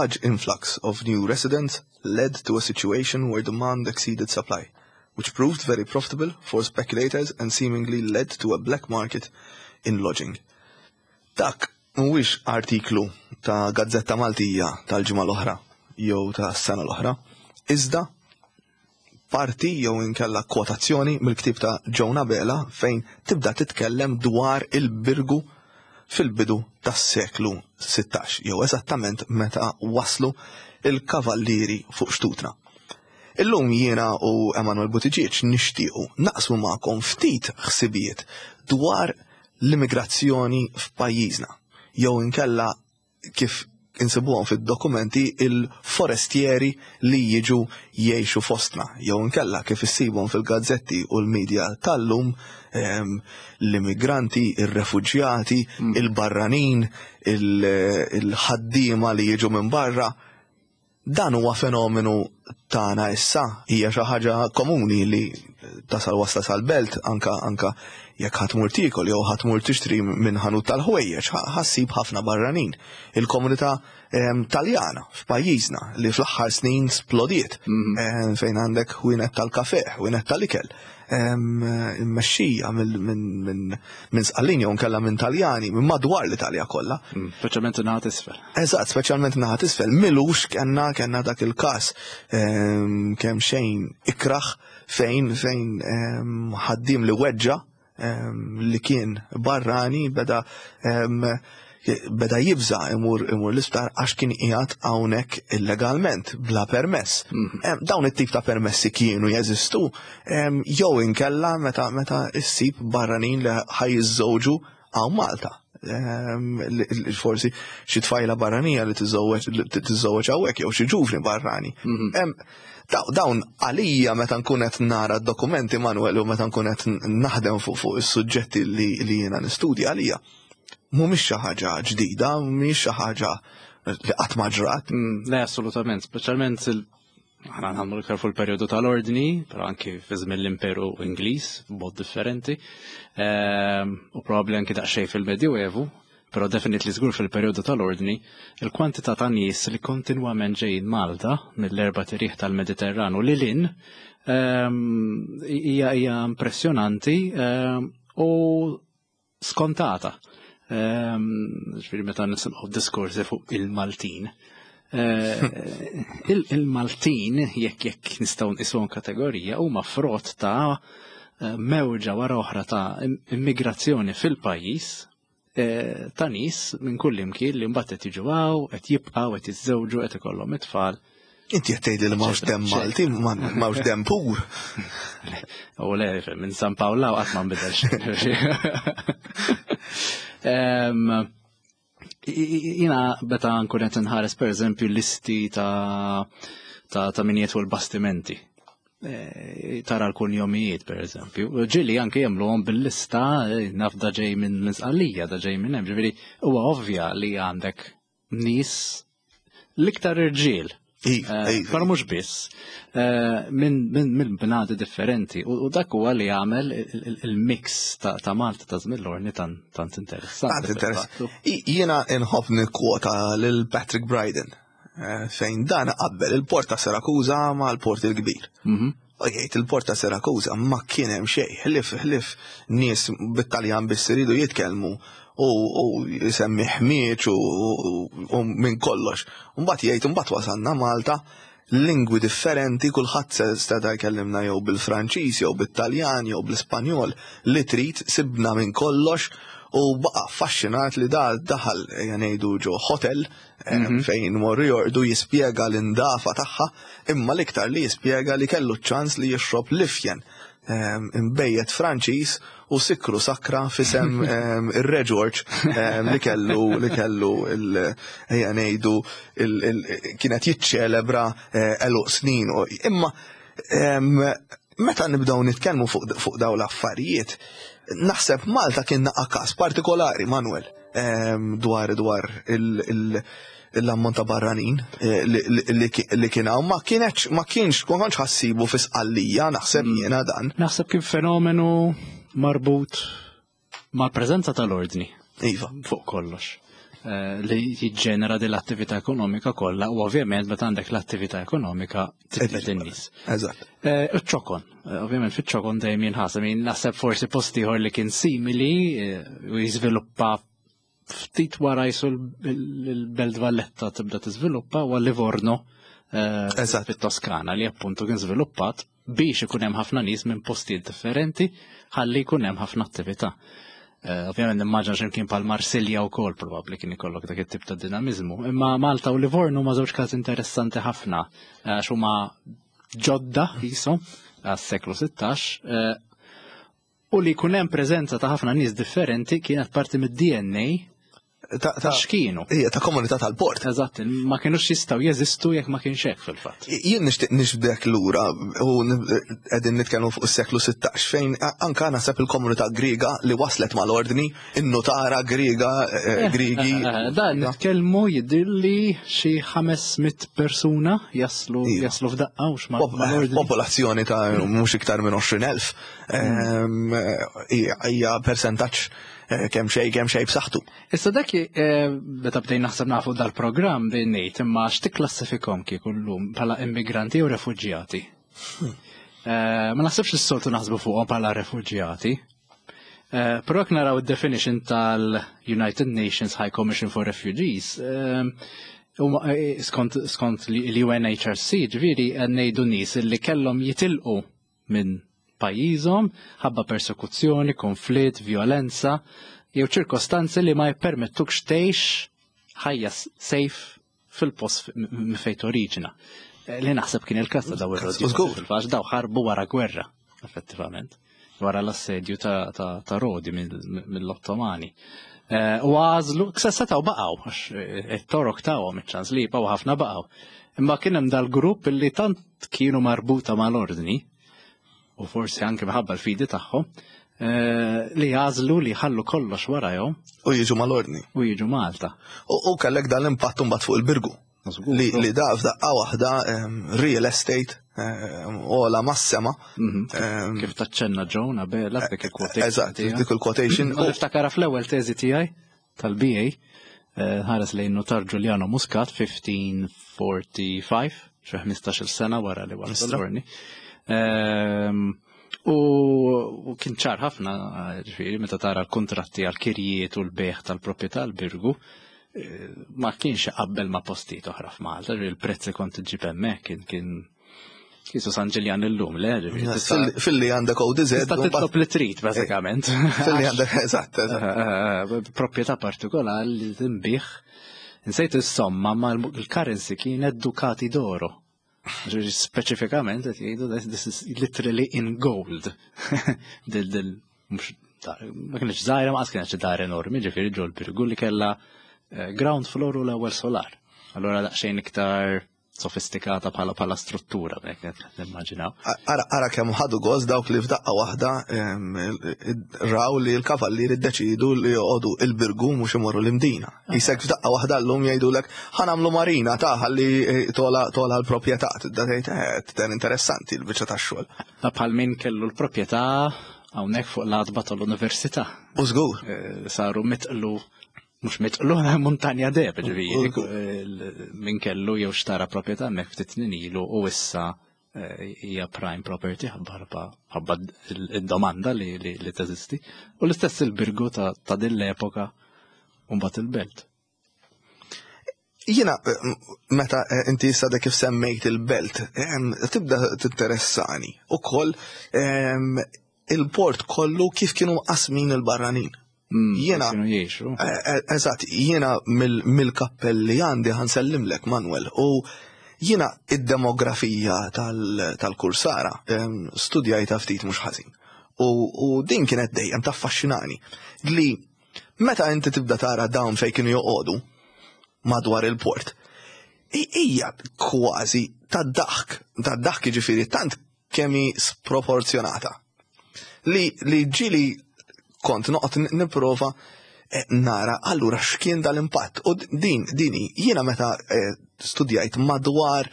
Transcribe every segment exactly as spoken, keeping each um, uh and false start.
Large influx of new residents led to a situation where demand exceeded supply, which proved very profitable for speculators and seemingly led to a black market in lodging. Dak mhuwiex artiklu ta' Gazzetta Maltija tal-ġimgħa l-oħra jew ta' sena l-oħra, iżda parti jew inkella kwotazzjoni mill-ktib ta' Joan Abela fejn tibda titkellem dwar il-Birgu fil-bidu tas-seklu sittax, jew eżattament meta waslu il-kavallieri fuq xtutna. Illum jiena u Emanuel Buttigieg nixtiequ naqsmu magħkom ftit ħsibijiet dwar l-immigrazzjoni f'pajjiżna, jew inkella kif insibuhom fid-dokumenti il-forestieri li jiġu jgħixu fostna, jew inkella kif issibhom fil-gazzetti u l-medja tal-lum, ehm, l-immigranti, ir-refuġjati, mm. il-barranin, il-ħaddiema li jiġu minn barra. Dan huwa fenomenu tagħna issa, hija xi ħaġa komuni li tasal wasla sal-belt, anka anka jekk ħa tmur tiekol jew ħa tmur tixtri minn ħanut tal-ħwejjeġ, ħa ssib ħafna barranin. Il-komunità ehm, Taljana f'pajjiżna li fl-aħħar snin splodiet, mhm. ehm, fejn għandek ħwienet tal-kafe, ħwienet tal-ikel, ehm, immexxija minn Sqallin jew nkella minn Taljani, minn madwar l-Italja kollha. Mm, speċjalment naħa t'isfel. Eżatt, speċjalment naħa t'isfel. M'ilux kellna kellna dak il-każ kemm xejn ikraħ fejn fejn ħaddim li weġġa li kien barrani beda beda jibża imur imur l-isptar għax kien qiegħed hawnhekk illegalment bla permess. Mhm. Dawn it-tip ta' permessi kienu jeżistu jew inkella meta meta issib barranin li ħa jiżżewġu hawn Malta. Forsi xi tfajla barranija li tiżżewweġ hawnhekk jew xi ġuvni barrani. Mhm. Dawn għalija meta nkun qed nara dokumenti, Manuel, u meta nkun qed naħdem fuq fuq is-suġġetti li jiena nistudja, għalija mhumiex xi ħaġa ġdida, mhumiex xi ħaġa li qatt ma ġrat. Mm, le, assolutament, speċjalment aħna nħamlu iktar fuq il-perjodu tal-ordni, però anki fi żmien l-Imperu Ingliż b'mod differenti, ehm, u probabbli anki daqsxejn fil-Medjuevu, però definitely żgur fil-perjodu tal-ordni, il-kwantità ta' nies li kontinwament ġejjin Malta mill-erbat irjieħ tal-Mediterranu lil hinn ehm, hija hija impressjonanti ehm, u skontata. Ġifieri meta nisimgħu diskorsi fuq il-Maltin. Eh, Il-Maltin, jekk jekk nistgħu nqisuhom kategorija, huma frott ta' eh, mewġa wara oħra ta' immigrazzjoni fil-pajjiż eh, ta' nies minn kull imkien li mbagħad qed jiġu hawn, qed jibqgħu, qed jiżżewġu, qed ikollhom it-tfal. Inti qed tgħidli li m'hawnx dem Malti, m'hawnx dem pur. U le, minn San Pawl qatt ma nbidel xejn. Em, Jiena meta nkun qed nħares, per eżempju, listi ta' ta' ta' min jieħu l-bastimenti. Eh, Tara l-kunjomijiet, per eżempju. Ġieli anke jagħmluhom bil-lista, eh, naf da ġej minn minn Sqallija, da ġej minn hemm. Ġifieri huwa ovvja li għandek nies, l-iktar irġiel, Iva, Eh, iva. Però mhux biss, eh, minn min, min bnadi differenti. U u dak huwa li jagħmel il- il- il-mix ta' ta' Malta ta' żmien l-ordni tant tant interessanti. Tant interess. Fil-fattu. I- Jiena inħobb nikkwota lil Patrick Bryden eh, fejn dan qabbel il-port ta' Sirakuza ma' l-port il-kbir. Mhm. U jgħid il-port ta' Sirakuza ma kien hemm xejn, ħlief ħlief nies bit-Taljan biss iridu jitkellmu u u jisemmi ħmieġ u, u, u minn kollox. Mbagħad jgħid, mbagħad wasalna Malta, lingwi differenti, kulħadd se seta' jkellimna jew bil-Franċiż jew bit-Taljan jew bl-Ispanjol li trid, sibna minn kollox, u baqa' affaxxinat li da daħal, ngħidu, ġo hotel eh, Mhm. fejn morru jorqdu, jispjega l-indafa tagħha, imma l-iktar li jispjega li kellu ċans li jixrob l-ifjen em, imbejjed Franċiż u sikru sakra f'isem em, ir-Re George em, li kellu li kellu il ejja ngħidu il- il- kienet jiċċelebra eh, għeluq snin. u- Imma em, meta nibdew nitkellmu fuq fuq dawn l-affarijiet, naħseb Malta kien naqa każ partikolari, Manuel, em, dwar dwar il- il- l-ammont ta' barranin eh, li- li li- li kien hawn, ma kienx ma kienx ma kontx ħa ssibu fi Sqallija, naħseb jiena dan. Naħseb kien fenomenu marbut mal-preżenza tal-ordni Iva. fuq kollox. eh, li jiġġenera dell-attività ekonomika kollha u ovvjament meta għandek l-attività ekonomika tiġbed in-nies. Eżatt. Eh, Iċ-ċokon, eh, ovvjament fiċ-ċokon dejjem jinħaseb, jien naħseb forsi post ieħor li kien simili eh, u jiżviluppa ftit wara jisu l-Belt Valletta tibda tiżviluppa u Livorno eh, Eżatt. fit-Toskana li appuntu kien żviluppat biex ikun hemm ħafna nies minn postijiet differenti ħalli jkun hemm ħafna attività. Eh, Ovvjament nimmaġina x'imkien bħal Marsilja wkoll probabbli kien ikollok dak it-tip ta' dinamizmu. Imma Malta u Livorno ma żewġ każ interessanti ħafna għax huma ġodda jisom għas-seklu sittax eh, u li jkun hemm preżenza ta' ħafna nies differenti kienet parti mid-D N A Ta' ta' x'kienu. Ija, ta' komunità tal-port. Eżatt, ma kienux jistgħu jeżistu jekk ma kienx hekk fil-fatt. Jien nixtieq nixbdek lura u qegħdin nitkellmu fuq is-seklu sittax fejn a- anka naħseb il-komunità Griega li waslet mal-ordni, in-nutara Griega, eh, Grigi. Eh, Da nitkellmu jidhirli xi ħames mitt persuna jaslu Iva. jaslu f'daqqa u x'ma Pop- mal-ordni. Popolazzjoni ta' mhux iktar minn għoxrin elf. Ehm, Hija hija persentaġġ eh, kemm xejn kemm xejn b'saħħtu. Issa dak eh, meta bdejn naħseb nafu dal-programm bejn ngħid imma x'tikklassifikhom kieku llum bħala immigranti jew refuġjati? Eh, Ma naħsibx li s-soltu naħsbu fuqhom bħala refuġjati. Eh, Però jekk naraw id-definition tal-United Nations High Commission for Refugees, eh, huma, eh, skont skont l-U N H R C, ġifieri qed ngħidu nies li kellhom jitilqu minn pajjiżhom ħabba persekuzzjoni, konflitt, violenza, jew ċirkostanzi li ma jippermettukx tgħix ħajja safe fil-post m- fejn oriġina. Eh, Li naħseb kien il-każ ta' daw ir-rodji. Żgur. Fil-fatt daw ħarbu wara gwerra, effettivament. Wara l-assedju ta', ta, ta' Rodi mill- mill-Ottomani. Eh, U għażlu, setgħu baqgħu, għax eh, it-Torok tawhom iċ-ċans li jibqgħu, ħafna baqgħu. Imma kien hemm dal-grupp li tant kienu marbuta mal-ordni, u forsi anke minħabba l-fidi tagħhom, eh, li għażlu li ħallu kollox warajhom U jiġu mal-ordni. u jiġu Malta. U u kellek dan l-impatt mbagħad fuq il-Birgu. Li, li da f'daqqa waħda em, real estate em, ola mas-sema. Mhm. em, Kif taċċenna Joan Abela f'dik il-quotation Eżatt, tiegħek. dik il-quotation. U niftakara fl-ewwel teżi tiegħi tal-B A eh, ħares lejn notar Giuliano Muscat elf ħames mija u ħamsa u erbgħin, xi ħmistax-il sena wara li wasal Mistra. l-ordni. Ehm, U u kien ċar ħafna, ġifieri, meta tara l-kontratti għal-kirjiet u l-bejgħ tal-proprjetà l-Birgu, eh, ma kienx qabel ma' postijiet oħra f'Malta, ġifieri il-prezz li kont iġġib hemmhekk kien kien kisu San Ġiljan illum, le, ġifieri tista' Fil- Filli għandek O D Z. tista' titlob li trid, bażikament. Filli għandek, eżatt, eżatt. Eh, eh, Proprjetà partikolari li tinbiegħ. Insejt is-somma, ma l-currency kienet ducati d'oro. Ġifieri speċifikament qed jgħidu that this is literally in gold. Dil dil mhux dar- ma kienx żgħira, ma qas kienet xi dar enormi, ġifieri ġol Birgu li kellha eh, ground floor u l-ewwel solar. Allura daqsxejn iktar sofistikata bħala bħala struttura, b'hekk qed nimmaġinaw. Ara, ara kemm ħadu gost dawk li f'daqqa waħda em, raw li l-kavallieri ddeċidu li joqogħdu il-Birgu mhux imorru l-Imdina. Jisek f'daqqa waħda llum jgħidulek ħa nagħmlu marina ta' ħalli eh, tola tola l-proprjetà. Tibda tgħid eh, ten interessanti l-biċċa tax-xogħol. Ta' bħal min kellu l-proprjetà hawnhekk fuq l-għatba tal-università. U żgur. Eh, Saru mitqlu, mhux mitqlu, muntanja deheb, ġifieri, eh, min kellu jew xtara proprjetà hemmhekk ftit snin ilu u issa eh, hija prime property ħabba ħabba id-domanda li, li, li teżisti. U l-istess il-Birgu ta', ta' din l-epoka u mbagħad il-belt. Jiena, eh, meta eh, inti issa kif semmejt il-belt, em, tibda tinteressani ukoll em, il-port kollu kif kienu qasmin il-barranin. Mm, Jiena- kienu jgħixu. Eh, eh, Eżatt, jiena mill- mill-kappelli għandi ħa nsellimlek, Manuel, u jiena id-demografija tal- tal-Kursara em, studjajta ftit mhux ħażin. U, u din kienet dejjem taffaxxinani li meta inti tibda tara dawn fejn kienu joqogħdu madwar il-port, i- hija kważi ta' daħk, ta' daħk ġifieri tant kemm hi sproporzjonata. Li, li ġili kont noqgħod nipprova eh, nara allura x'kien dal-impatt. U din dini jiena meta eh, studjajt madwar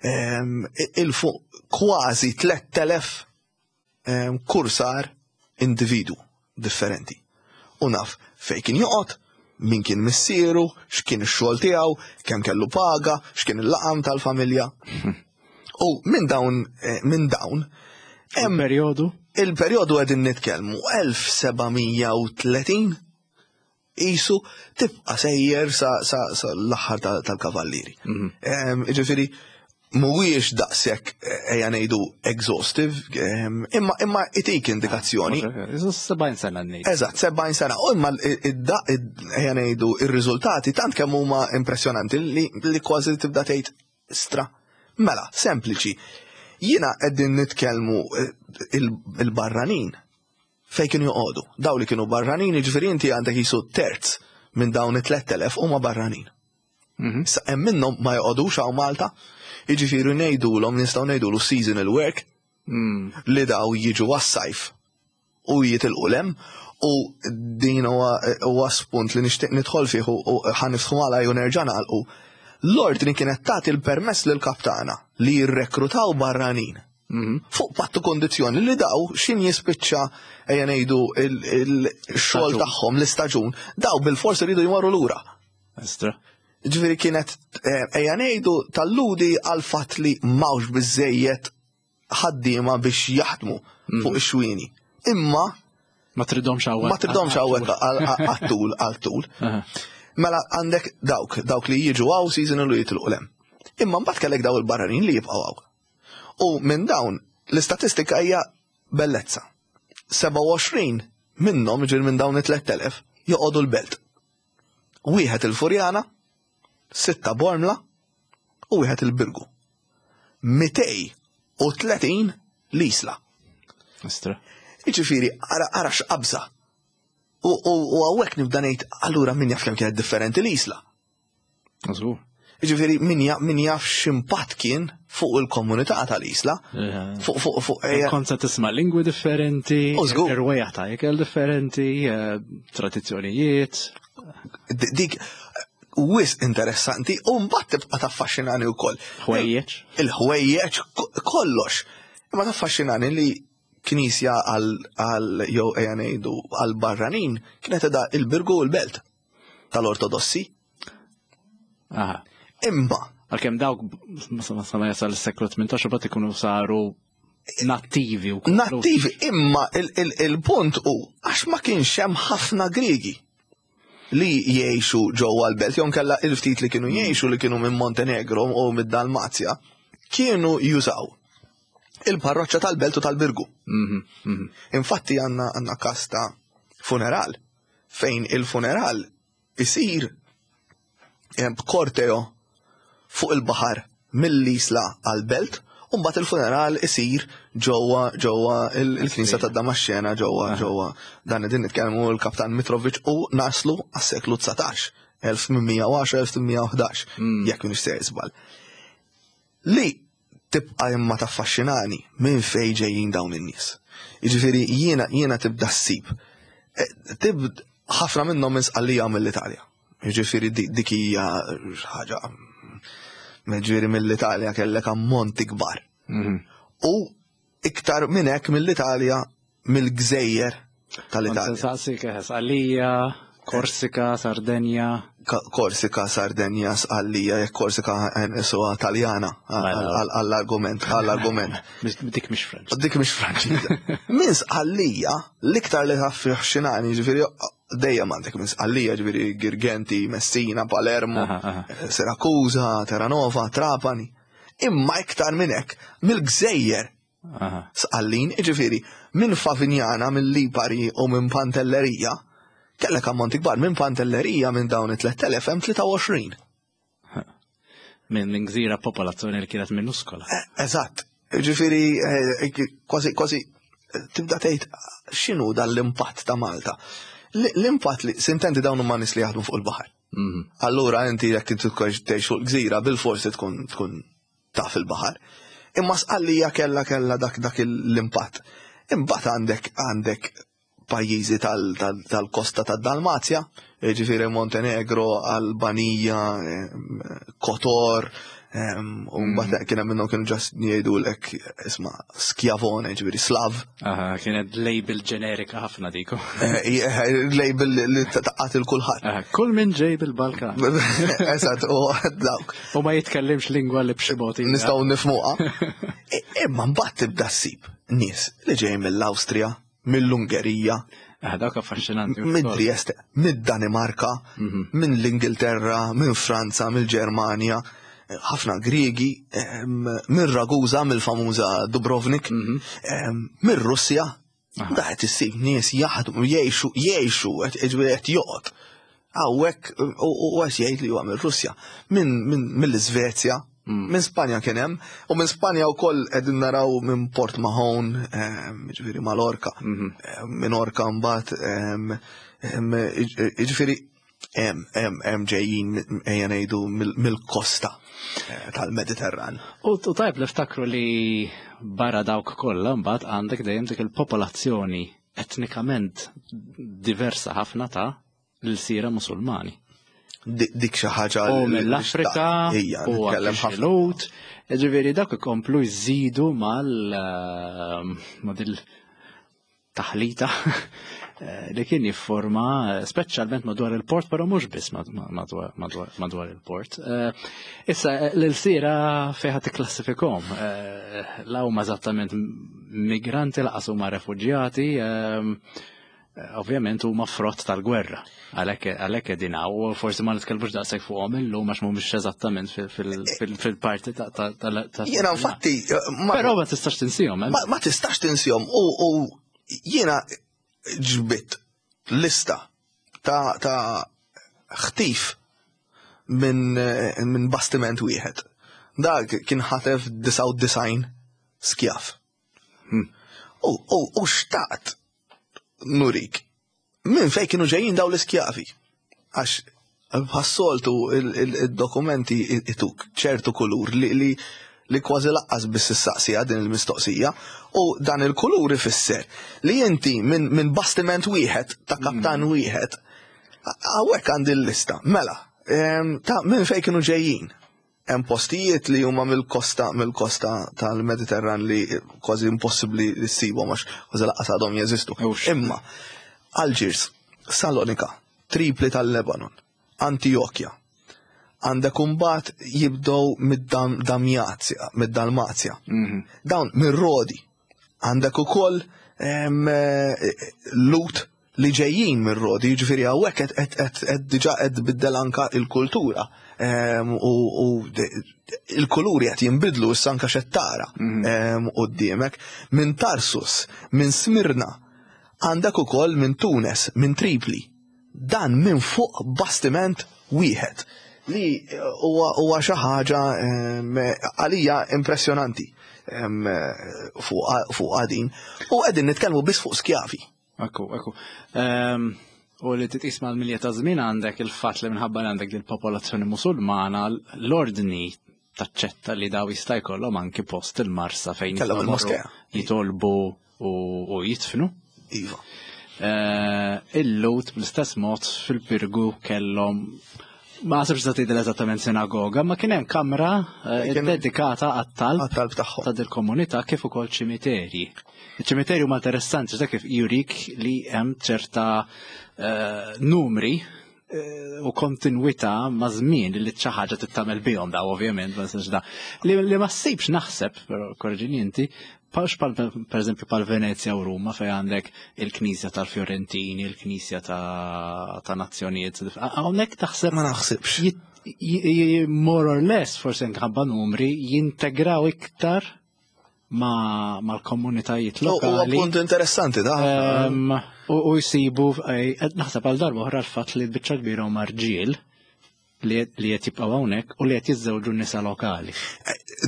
ehm, il-fuq kważi tliet elef ehm, kursar individu differenti. U naf fej kien joqgħod, Min kien missieru, x'kien ix-xogħol tiegħu, kemm kellu paga, x'kien il-laqam tal-familja. U minn dawn eh, minn dawn hemm Periodu? Il-perjodu qegħdin nitkellmu elf seba' mija u tletin isu tibqa' sejjer sa, sa, sa l-aħħar tal- tal-kavallieri. Em, Ġifieri mhuwiex daqshekk, eh, ejja ngħidu, exhaustive, em, imma imma itik indikazzjoni. Isu sebgħin sena ngħid. Eżatt, sebgħin sena. U imma id-da- id- ejja ngħidu ir-riżultati tant kemm huma impressjonanti li, li kważi tibda tgħid stra. Mela, sempliċi. Jiena qegħdin nitkellmu eh, il- il-barranin fej kienu joqogħdu. Daw li kienu barranin, jiġifieri inti għandek jisu terz minn dawn it-tlett elef huma barranin. Mhm. Issa hemm minnhom ma joqogħdux hawn Malta, jiġifieri ngħidulhom nistgħu ngħidulu seasonal work Mm. li daw jiġu għas-sajf u jitilqu lem, u din huwa huwa spunt li nixtieq nidħol fih u u ħa niftħu għala u nerġa' nagħlqu. L-ordni kienet tagħti l-permess lil kaptana li jirrekrutaw barranin Mhm. fuq pattu kondizzjoni li daw xin jispiċċa, ejja ngħidu, il-xogħol Staġun. tagħhom, l-istaġun, daw bil-forsi rridu jmorru lura. Estra. Ġifieri kienet, eh, ejja ngħidu, talludi għal fatt li m'hawnx biżejjed ħaddiema biex jaħdmu fuq ix-xwieni. Imma Ma tridhomx hawnhekk. ma tridhomx hawnhekk għat-tul għal-tul. Aha. Mela għandek dawk, dawk li jiġu hawn seasonal u jitilqu lem. Imma mbagħad kellek daw il-barranin li jibqgħu hawn. U minn dawn l-istatistika hija bellezza. sebgħa u għoxrin minnhom, ġir minn dawn it-tlett elef, joqogħdu l-Belt. Wieħed il-Furjana, sitta Bormla u wieħed il-Birgu. mitejn u tletin l-Isla. Estra. Jiġifieri, ara ara x'qabża. U u u hawnhekk nibda ngħid, allura min jaf kemm kienet differenti l-Isla. Żgur. Jiġifieri min jaf min jaf x'impatt kien fuq il-komunità tal-Isla. Fuq fuq fuq ejja, Kont se tisma' lingwi differenti, U żgur. irwejjaħ ta' ikel differenti, eh, tradizzjonijiet. d- dik wis interessanti u mbagħad tibqa' taffaxxinani wkoll. Ħwejjeġ. Il-ħwejjeġ, ko- kollox. Imma taffaxxinani li knisja għal għal jew ejja ngħidu għal barranin kienet edha il-Birgu u l-Belt tal-Ortodossi. Aha. Imma Għalkemm dawk ma sa ma jasal is-seklu tmintax bat ikunu saru nattivi u nattivi, imma il- il- il-punt u għax ma kienx hemm ħafna Griegi li jgħixu ġewwa l-Belt, jew kella il-ftit li kienu jgħixu li kienu minn Montenegro u mid-Dalmazja, kienu jużaw il-parroċċa tal-Belt u tal-Birgu. Mhm, mhm. Infatti għanna għanna kas ta' funeral fejn il-funeral isir eh, b'korteo fuq il-baħar mill-Isla għal-Belt u mbagħad il-funeral isir ġewwa ġewwa il- il-Knisja tad-Damaxxena ġewwa ġewwa dan din nitkellmu l-Kaptan Mitrovic u naslu għas-seklu dsatax, elf tmien mija u għaxra elf tmien mija u ħdax, jekk m'iniex sejjer żball. Li tibqa' imma taffaxxinani minn fejn ġejjin dawn in-nies. Jiġifieri jiena jiena tibda ssib. Eh, Tibd ħafna minnhom minn Sqallija, mill-Italja. Jiġifieri dik dik hija ħaġa, ġifieri mill-Italja kellek ammonti kbar. Mhm. U iktar minn hekk mill-Italja, mill-gżejjer tal-Italja. Saqsik, eh, Sqallija, Korsika, Sardenja. Ka- Korsika, Sardenja, Sqallija, jekk Korsika nqisuha Taljana Mela. għall-argument, għall-argument. Mis- Dik mhix French. Dik mhix Franċiża. Minn Sqallija, l-iktar li taffaxxinani, ġifieri dejjem għandek minn Sqallija, ġifieri Girgenti, Messina, Palermo, Aha, aha. Sirakusa, Terranova, Trapani. Imma iktar minn hekk, mill-gżejjer Aha. Sqallin, ġifieri, minn Favignana, minn Lipari u minn Pantellerija, kellek ammonti kbar. Minn Pantellerija, minn dawn it-tlett elef hemm tlieta u għoxrin. Minn minn gżira popolazzjoni li kienet minuskola. Eh, Eżatt. Ġifieri, eh, kważi, kważi, eh, tibda tgħid x'inhu dan l-impatt ta' Malta. L- L-impatt li sintendi dawn huma nies li jaħdmu fuq il-baħar. Mhm. Allura inti jekk inti tkun tgħix fuq gżira bil-forsi tkun tkun taf il-baħar. Imma Sqallija kella kella dak dak l-impatt. Imbagħad għandek għandek pajjiżi tal- tal- tal-kosta tad-Dalmazja, ġifieri Montenegro, Albanija, eh, Kotor, Em, U mbagħad kien hemm minnhom kienu just jgħidulek isma' Schiavone, ġifieri Slav. Aha, kienet label ġenerika ħafna diku. Eh, eh, Label li taqqat il kulħadd. Aha, kull min ġej bil-Balkan. Eżatt, u dawk. U ma jitkellimx lingwa li b'xi mod hija. Nistgħu nifhmuha. I- Imma mbagħad tibda ssib nies li ġejjin mill-Awstrija, mill-Ungerija, Ah, dawk affaxxinanti. minn Trieste, mid-Danimarka, minn l-Ingilterra, minn Franza, mill-Ġermanja, ħafna Griegi, em, minn Ragusa, mill-famuża Dubrovnik, em, minn Russja. Da qed issib nies jaħdmu, jgħixu, jgħixu, qed ġifieri qed joqgħod. Hawnhekk u u qed jgħid li huwa mill-Russja, minn minn mill-Iżvezja, minn Spanja kien hemm, u minn Spanja wkoll qegħdin naraw minn Port Mahon, em, ġifieri Malorka, em, minn Orka mbagħad, em, em, ġifieri hemm hemm hemm ġejjin ejja ngħidu mill- mill-kosta eh, tal-Mediterran. U u tajb li ftakru li barra dawk kollha mbagħad għandek dejjem dik il-popolazzjoni etnikament diversa ħafna ta' l-sira Musulmani. Di- Dik xi ħaġa U li- li mill-Afrika, xtaqt. Ejja, u nitkellem anke ħafna. xi Lhud. Ġifieri dak ikomplu jżidu mal eh, ma dil taħlita eh, li kien jifforma eh, speċjalment madwar il-port, però mhux biss mad- madwar, madwar, madwar il-port. Eh, Issa, eh, l-sira fejn tikklassifikhom. Eh, La huma eżattament migranti, lanqas huma refuġjati, ehm, eh, ovvjament huma frott tal-gwerra. Għalhekk għalhekk qegħdin hawn, u forsi ma nitkellmux daqshekk fuqhom illum għax mhumiex eżattament fil- fil- fil- fil-parti ta' ta' ta' ta' Jiena infatti eh, ma- Però ma tistax tinsihom, eh? ma, ma tistax tinsihom u, u jiena ġbit lista ta', ta' ħtif minn eh, min bastiment wieħed. Dak kien ħatef disgħa u disgħin skjav. U, u, u xtaqt nurik minn fej kienu ġejjin daw l-iskjavi. Għax bħas-soltu il-dokumenti ituk ċertu kulur li, li, li kważi lanqas biss issaqsija din il-mistoqsija u dan il-kulur ifisser li inti minn min bastiment wieħed ta' kaptan wieħed hawnhekk għandi l-lista. Mela, em, ta' minn fej kienu ġejjin. Hemm postijiet li huma mill-kosta mill-kosta tal-Mediterran li kważi impossibbli li ssibhom għax kważi lanqas għadhom jeżistu. Ux. Imma Algiers, Salonika, Tripli tal-Lebanon, Antiochia, għandek imbagħad jibdew mid-Damjazja, mid-Dalmazja. Dawn minn Rodi. Għandek ukoll em, eh, Lhud li ġejjin minn Rodi, jiġifieri hawnhekk qed qed qed qed diġà qed tbiddel anka il-kultura. Em, U u de- il-kuluri qed jinbidlu issa anka xettara em, quddiemek. Minn Tarsus, minn Smirna, għandek ukoll minn Tunes, minn Tripli. Dan minn fuq bastiment wieħed li huwa huwa xi ħaġa em, għalija impressjonanti em, fuq fuq għadin. U qegħdin nitkellmu biss fuq skjavi. Ekku, ekku. Ehm, U li titqis mal-milja ta' żmien għandek il-fatt li minħabba li għandek din popolazzjoni musulmana, l-ordni taċċetta li daw jista' jkollhom anki post il-Marsa fejn Kellhom jistgħu il-moskea. jitolbu u u jitfnu. Iva. Eh, Il-Lhud bl-istess mod fil-Pirgu kellhom, ma nasibx ta' tgħidilha eżattament sinagoga, ma kien hemm kamra eh, Kien- dedikata għat-talb Għat-talb tagħhom. ta' dil-komunità kif ukoll ċimiterji. Iċ-ċimiterji huma interessanti dak kif jurik li hemm ċerta eh, numri eh, u kontinwità ma' żmien li xi ħaġa tittamel bihom daw ovvjament, ma nistax da. Li, li ma ssibx naħseb, però korreġini inti, pax pal, per eżempju pal Venezia u Ruma fej għandek il-Knisja tal-Fiorentini, il-Knisja ta', ta' nazzjonijiet. Hawnhekk taħseb Ma naħsibx. jit- j- j- more or less, forsi nħabba numri, jintegraw iktar ma mal-komunitajiet U huwa lokali. punt interessanti da. Em, U u jisibu, eh, naħseb għal darba oħra l-fatt li l-biċċa kbira huma rġiel li li qed jibqgħu hawnhekk u li qed jiżżewġu nisa lokali.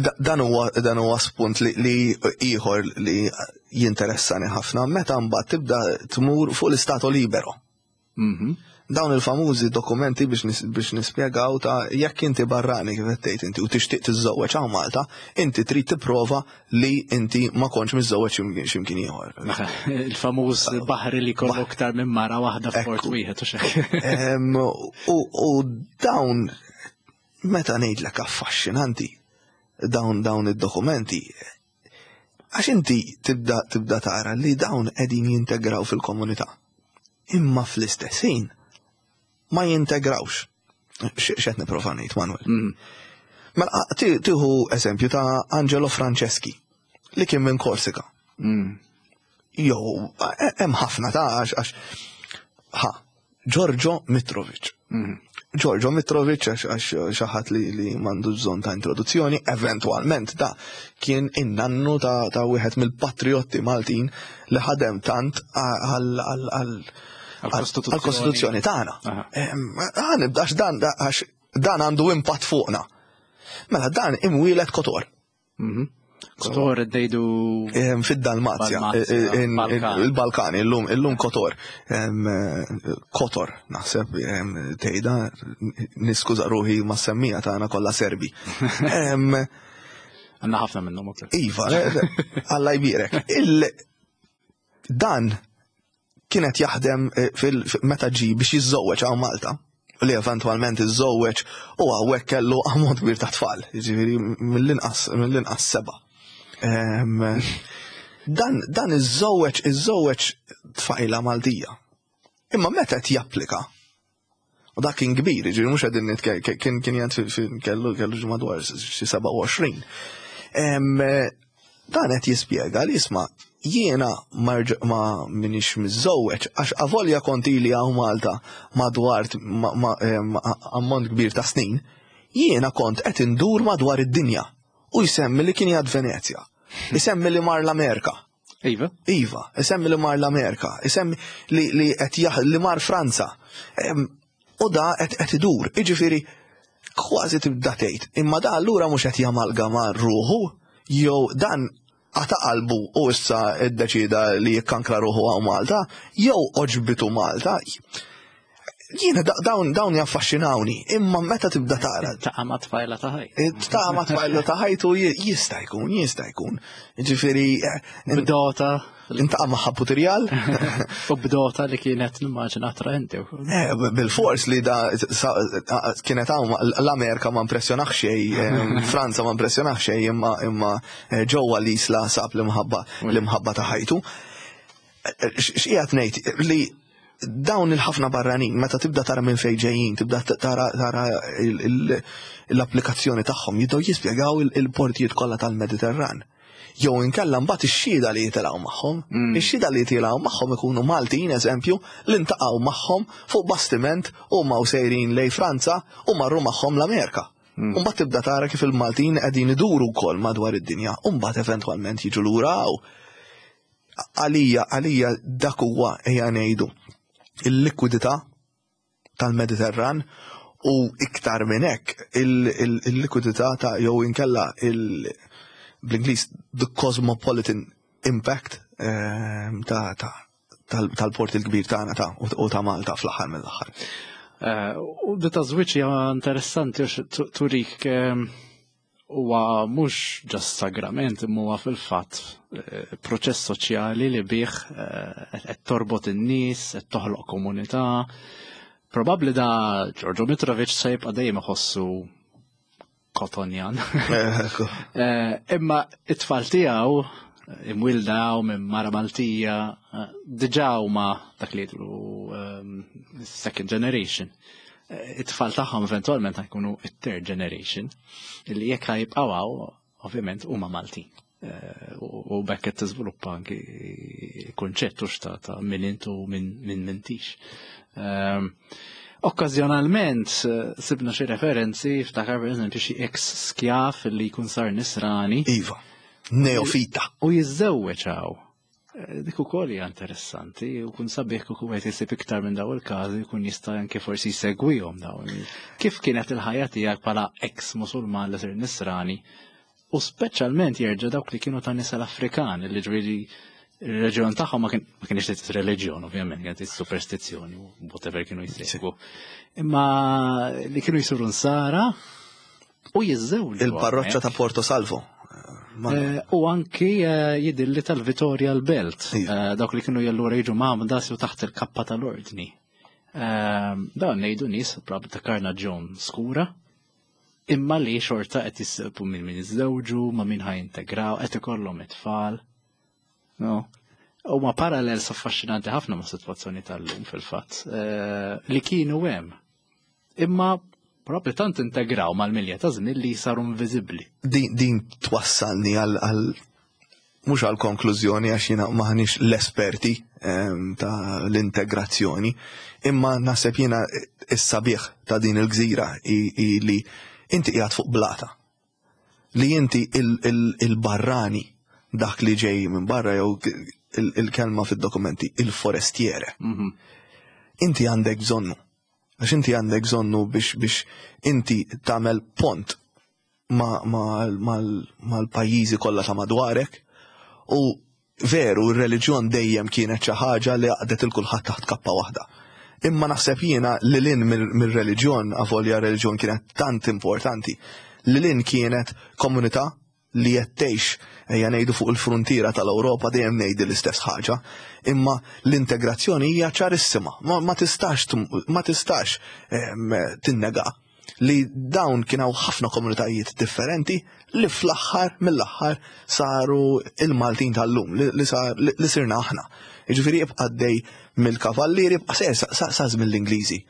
Da- Dan huwa dan huwa spunt li, li ieħor li jinteressani ħafna meta mbagħad tibda tmur fuq l-Istato Libero. Mhm. Dawn il-famużi dokumenti biex, nis, biex nispjegaw ta' jekk inti barrani kif qed tgħid inti u tixtieq tiżżewweġ hawn Malta, inti trid tipprova li inti ma kontx miżżewweġ x'imkien x'imkien ieħor. Il-famuż baħri li kollu aktar minn mara waħda f'port Ekku. wieħed u xek. Em, U u dawn Meta ngħidlek affaxxinanti dawn dawn id-dokumenti, għax inti tibda tibda tara li dawn qegħdin jintegraw fil-komunità. Imma fl-istess ħin ma jintegrawx. X'qed nipprova ngħid, Manuel? Mm. Mela tieħu eżempju ta' Angelo Franceschi li kien minn Korsika. Mm. Jew hemm ħafna ta' għax għax ħa Giorgio Mitrovic. Mm. Giorgio Mitrovic għax għax xi ħadd li, li m'għandu bżonn ta' introduzzjoni, eventwalment da kien in-nannu ta', ta' wieħed mill-patriotti Maltin li ħadem tant għal għal għal-Kostituzzjoni tagħna. Ħa nibda dan għax dan għandu impatt fuqna. Mela dan imwieled Kotor. Mhm. Kotor id-dejdu. Fid-Dalmazja, il-Balkani, illum illum Kotor. Kotor, naħseb tgħidha, niskuża ruħi ma' semmija tagħna kollha Serbi. Għandna ħafna minnhom ukoll. Iva, Alla jbierek. Dan kienet jaħdem meta ġi biex jiżżewweġ hawn Malta, li eventwalment iżżewweġ u hawnhekk kellu ammont kbir ta' tfal, jiġifieri mill-inqas mill-inqas seba'. Dan dan iżżewweġ iżżewweġ tfajla Maltija. Imma meta qed japplika, u dak kien kbir, jiġifieri mhux qegħdin kien kien jgħid kellu kellu madwar xi sebgħa u għoxrin. Dan qed jispjega li, isma', jiena ma minix miżżewweġ għax avolja kont ili hawn Malta madwar ammont kbir ta' snin, jiena kont qed indur madwar id-dinja, u jsemmi li kien jgħad Venezja. Isemmi li mar l-Amerika. Iva? Iva, isemmi li mar l-Amerika, isemmi li li qed li mar Franza. U da qed qed idur, jiġifieri kważi tibda tgħid, imma da allura mhux qed jamalgama ruħu jew dan għata qalbu u issa iddeċida li jikkankra ruħu hawn Malta, jew għoġbitu Malta. Jiena dawn dawn jaffaxxinawni, imma meta tibda tara. Taqa' ma' tfajla ta' ħaj. Ta' ma' tfajla ta' ħajtu jista' jkun, jista' jkun. Ġifieri. Bdota. Iltaqa' ma' Putirjal. U bdota li kienet nimmaġina attraenti. Eh, bil-fors li da kienet hawn l-Amerika ma impressjonax xejn, Franza ma impressjonax xejn, imma imma eh, ġewwa l-Isla sab l-imħabba l-imħabba ta' ħajtu. Eh, x'qiegħed ngħid li dawn il-ħafna barranin, meta tibda tara minn fejn ġejjin, tibda tara tara l-applikazzjoni tagħhom, jibdew jispjegaw il-portijiet kollha tal-Mediterran. Jew inkella mbagħad ix-xhieda li jitilgħu magħhom, Mm. ix-xhieda li jitilgħu magħhom ikunu Maltin, eżempju, li ntaqgħu magħhom fuq bastiment u ma sejrin lejn Franza u marru magħhom l-Amerika. Mm. U mbagħad tibda tara kif il-Maltin qegħdin iduru wkoll madwar id-dinja, u mbagħad eventwalment jiġu lura hawn. Għalija, għalija dak huwa, ejja ngħidu, il-likwidità tal-Mediterran u iktar minn hekk il-likwidità ta' jew inkella il bl-Ingliż the cosmopolitan impact ehm, ta' ta' tal-port il-kbir tagħna ta' u ta' Malta fl-aħħar mill-aħħar. Eh, u di ta' żwieġ hija interessanti għax turik ehm, huwa mhux just sagrament, imma huwa fil-fatt eh, proċess soċjali li bih eh, qed torbot in-nies, qed toħloq komunità. Probabbli da Giorgio Mitrovic se jibqa' dejjem iħossu Kotonjan. Imma it-tfal tiegħu imwielda minn mara Maltija diġà huma dak li jgħidu ehm, second generation. It-tfal tagħhom eventwalment jkunu it-third generation illi jekk jibqgħu hawn, ovvjament huma Maltin. U bekk qed tiżviluppa anki kunċett ta' ta' min intu min min m'intix. Ehm, Okkażjonalment sibna xi referenzi, ftakar per eżempju xi ex skjav li jkun sar nisrani. Iva, neofita. U jiżżewweġ hawn. Dik ukoll hija interessanti u kun sabiħ kieku wieħed isib iktar minn dawn il-każi, jkun jista' anke forsi jsegwihom dawn. Kif kienet il-ħajja tiegħek bħala ex Musulman li sir nisrani u speċjalment jerġa' dawk li kienu ta' nisel Afrikan li ġifieri il-reġjon tagħhom ma kienx l reliġjon ovvjament, kienet is-superstizzjoni u whatever kienu jsegwu. Imma li kienu jsiru nsara u jiżżewġu. Il-parroċċa ta' Porto Salvo. Eh, u anki eh, jidilli tal-Vittoria l-Belt, Iva. eh, dawk li kienu jallura jiġu mgħammda u taħt il-kappa tal-ordni. Dan ngħidu nies probabbli ta' karnaġġjon skura, Imma li xorta qed jisibu minn min jiżżewġu, ma' min ħa jintegraw, qed ikollhom it-tfal. No. Huma parallels affaxxinanti ħafna ma' sitwazzjoni tal-lum fil-fatt, eh, li kienu hemm. Imma propju tant integraw mal-milja ta' żmien li saru inviżibbli. Din, din twassalni għal għal mhux għal konklużjoni, għax jiena m'aħniex l-esperti em, ta' l-integrazzjoni, imma naħseb jiena is-sabiħ ta' din il-gżira i, i li inti qiegħed fuq blata. Li inti il-barrani, dak li ġej minn barra, jew il-kelma fid-dokumenti, il-forestiere. Mhm. Inti għandek bżonnu. Għax inti għandek bżonnu biex biex inti tagħmel pont mal-pajjiżi kollha ta' madwarek, u veru r-reliġjon dejjem kienet xi ħaġa li għaqdet lil kulħadd taħt kappa waħda. Imma naħseb jiena li lil hinn mir-reliġjon, avolja reliġjon kienet tant importanti, li lil hinn kienet komunità li qed tgħix, ejja ngħidu, fuq il-frontiera tal-Ewropa. Dejjem ngħid l-istess ħaġa, imma l-integrazzjoni hija ċarissima, ma, ma tistax ma tistax tinnega li dawn kienu ħafna komunitajiet differenti li fl-aħħar mill-aħħar saru il-Maltin tal-lum li, li, sar, li, li sirna aħna. Jiġifieri ibqa' dej mill-kavallieri, ibqa' ser sa, sa żmien l-Ingliżi.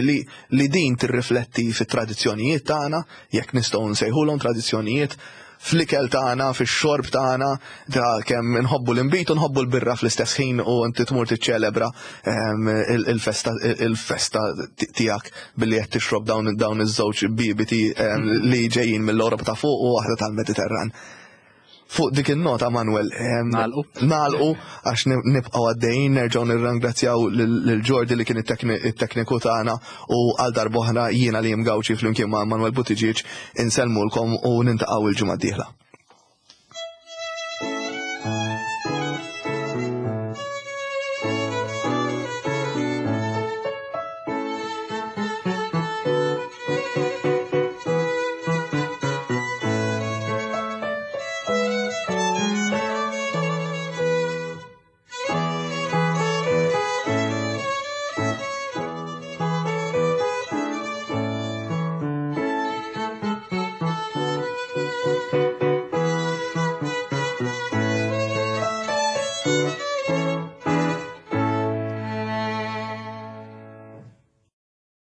Li, li din tirrifletti fit-tradizzjonijiet tagħna, jekk nistgħu nsejħulhom tradizzjonijiet, fl-ikel tagħna, fix-xorb tagħna, ta' kemm nħobbu l-inbid u nħobbu l-birra fl-istess ħin, u inti tmur tiċċelebra il-festa il-festa tiegħek billi qed tixrob dawn dawn iż-żewġ bibiti li ġejjin mill-Ewropa ta' fuq u waħda tal-Mediterran. Fuq dik il-nota, Manuel, Nagħlqu. Nagħlqu, għax nibqgħu għaddejjin. Nerġgħu nirringrazzjaw lil Jordi li kien it-tekniku tagħna, u għal darb'oħra jiena li Gawċi flimkien ma' Manuel Buttigieg insellmulkom u niltaqgħu il-ġimgħa d-dieħla.